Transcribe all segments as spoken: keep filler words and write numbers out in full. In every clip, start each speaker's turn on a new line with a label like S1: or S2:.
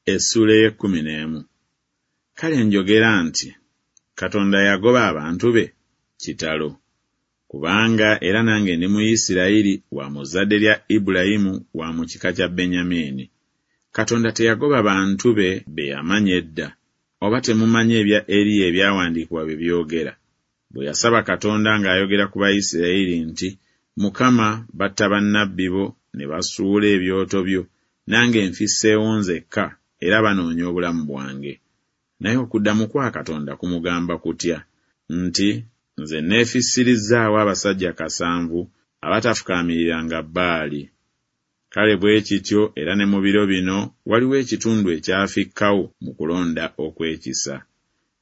S1: Essuula ey'ekkumi n'emu. Kale njogera nti Katonda yagoba abantu be? Kitalo! Kubanga era nange ndi Muyisirayiri, wa mu zzadde lya Ibulayimu, wa mu kika kya Benyamini. Katonda teyagoba bantu be be yamanya edda. Oba temumanyi ebya Eriya ebyawandiikibwa bye byogera? Bwe yasaba Katonda ng'ayogera ku Bayisirayiri nti, Mukama, batta bannabbi bo, ne basuula ebyoto byo, nange nfisseewo nzekka, era banoonya obulamu bwange. Naye okuddamu kwa Katonda kumugamba kutya? Nti, Nze neefissirizzaawo abasajja kasanvu abatafukaamiriranga Baali. Kale bwe kityo era ne mu biro bino waliwo ekitundu ekyafikkawo mu kulonda okw'ekisa.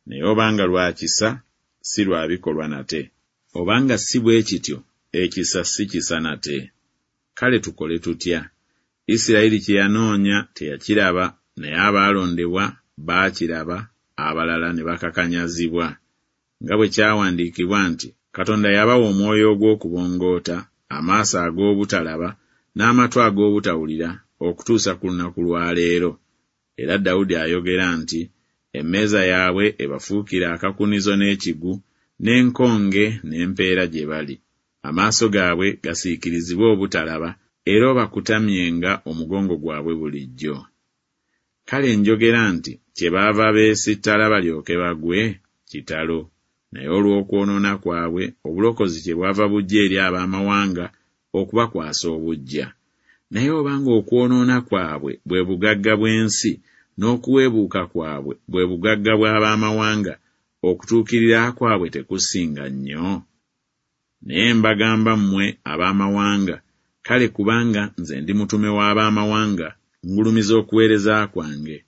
S1: Naye obanga lwa kisa, si lwa bikolwa nate. Obanga si bwe kityo, ekisa si kisa nate. Kale tukole tutya? Isirayiri kye yanoonya teyakiraba, naye abaalondebwa baakiraba, abalala ne bakakanyazibwa. Nga bwe kyawandiikibwa nti, Katonda yabawa omwoyo ogw'okubongoota, amaaso ag'obutalaba, n'amatu ag'obutawulira, okutuusa ku lunaku lwa leero. Era Dawudi ayogera nti, Emmeeza yaabwe ebafuukire akakunizo n'ekigu, n'enkonge n'empeera gye bali. Amaaso gaabwe gasiikirizibwe obutalaba, era obakutamyenga omugongo gwabwe bulijjo. Kale njogera nti kyebaava beesittala balyoke bagwe? Kitalo! Naye olw'okwonoona kwabwe obulokozi kyebwava bujja eri ab'amawanga okubakwasa obuggya. Naye obanga okwonoona kwabwe bwe bugagga bw'ensi, n'okuweebuuka kwabwe bwe bugagga bw'ab'amawanga, okutuukirira kwabwe tekusinga nnyo? Naye mbagamba mmwe ab'amawanga, kale kubanga nze ndi mutume w'ab'amawanga, ngulumiza okuweereza kwange.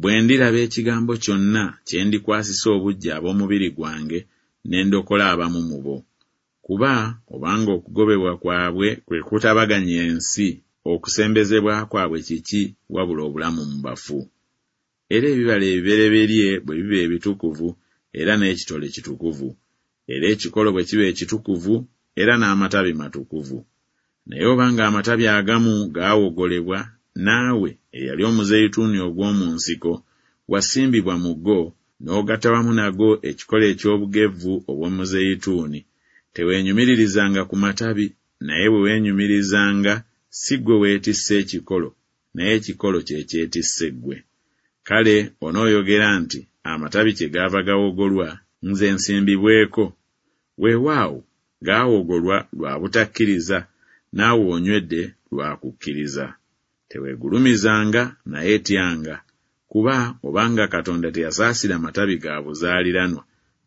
S1: Bwe ndiraba ekigambo kyonna kye ndikwasisa obuggya ab'omubiri gwange, ne ndokola abamu mu bo. Kuba obanga okugobebwa kwabwe kwe kutabaganya ensi, okusembezebwa kwabwe kiki wabula obulamu mu bafu? Era ebibala ebibereberye bwe biba ebitukuvu, era n'ekitole kitukuvu. Era ekikolo bwe kiba ekitukuvu, era n'amatabi matukuvu. Naye obanga amatabi agamu gaawogolebwa, naawe eyali omuzeyituuni ogw'omu nsiko, wasimbibwa mu go, n'ogatta wamu nago ekikolo eky'obugevvu obw'omuzeyituuni, teweenyumiririzanga ku matabi, naye bwe weenyumirizanga, si ggwe weetisse ekikolo, naye ekikolo kye kyetisse ggwe. Kale onooyogera nti, Amatabi kyegaava gawogolwa, nze nsimbibweko. Weewaawo, gaawogolwa lwa butakkiriza, naawe onywedde lwa kukkiriza. Teweegulumizanga, naye tyanga. Kuba obanga Katonda teyasaasira matabi ga buzaaliranwa,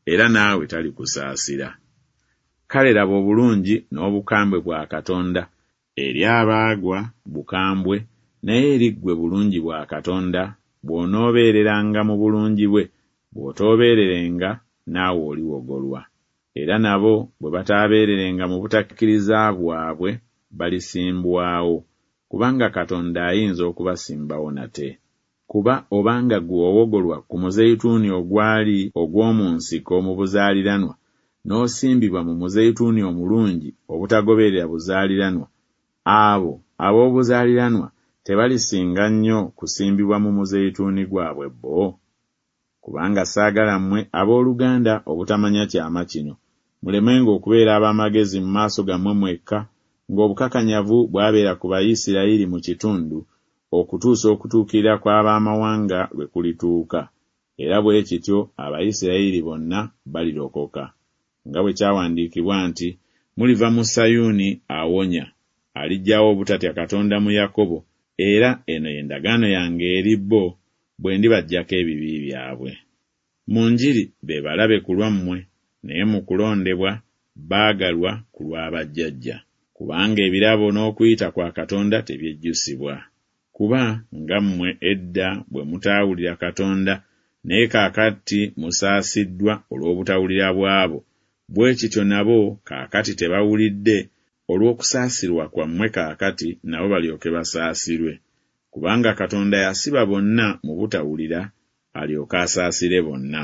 S1: era naawe talikusaasira. Kale laba obulungi n'obukambwe bwa Katonda. Eri abaagwa bukambwe, naye eri ggwe bulungi bwa Katonda, bw'onoobeereranga mu bulungi bwe, bw'otoobeererenga, naawe oliwogolwa. Era nabo bwe bataabeererenga mu butakkiriza bwabwe, balisimbwawo, kubanga Katonda ayinza okubasimbawo nate. Kuba obanga ggwe wawogolwa ku muzeyituuni ogwali ogw'omu nsiko mu buzaaliranwa, n'osimbibwa mu muzeyituuni omulungi obutagoberera buzaaliranwa, abo ab'obuzaaliranwa tebalisinga nnyo kusimbibwa mu muzeyituuni gwabwe bo? Kubanga saagala mmwe abooluganda obutamanya kyama kino, mulemenga okubeera ab'amagezi mu maaso gammwe mwekka, ng'obukakanyavu bwabeera ku Bayisirayiri mu kitundu, okutuusa okutuukirira kw'ab'amawanga lwe kulituuka, era bwe kityo Abayisirayiri bonna balirokoka. Nga bwe kyawandiikibwa nti, Muliva mu Sayuuni awonya, aliggyawo obutatya Katonda mu Yakobo, era eno ye ndagaano yange eri bo, bwe ndibaggyako ebibi byabwe. Mu njiri be balabe ku lwammwe, naye mu kulondebwa baagalwa ku lwa bajjajja. Kubanga ebirabo n'okuyita kwa Katonda tebyejjusibwa. Kuba nga mmwe edda bwe mutaawulira Katonda, naye kaakati musaasiddwa olw'obutawulira bwabo, bwe kityo nabo kaakati tebawulidde, olw'okusaasirwa kwammwe kaakati nabo balyoke basaasirwe. Kubanga Katonda yasiba bonna mu butawulira, alyoke asaasire bonna.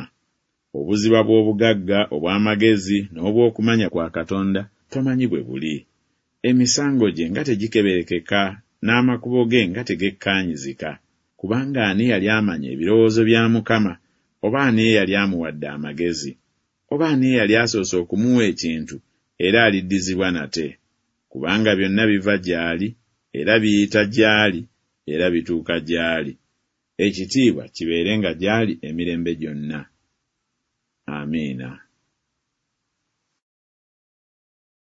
S1: Obuziba bw'obugagga obw'amagezi n'obw'okumanya kwa Katonda tomanyi bwe buli. Emisango gye nga tegikeberekeka, n'amakubo ge nga tegekkaanyizika. Kubanga ani yali amanya ebirowoozo bya Mukama, oba ani eyali amuwadde amagezi? Oba ani eyali asoose okumuwa ekintu, era aliddizibwa nate? Kubanga byonna biva gy'ali, era biyita gy'ali, era bituuka gy'ali. Ekitiibwa kibeerenga gy'ali emirembe gyonna. Amiina.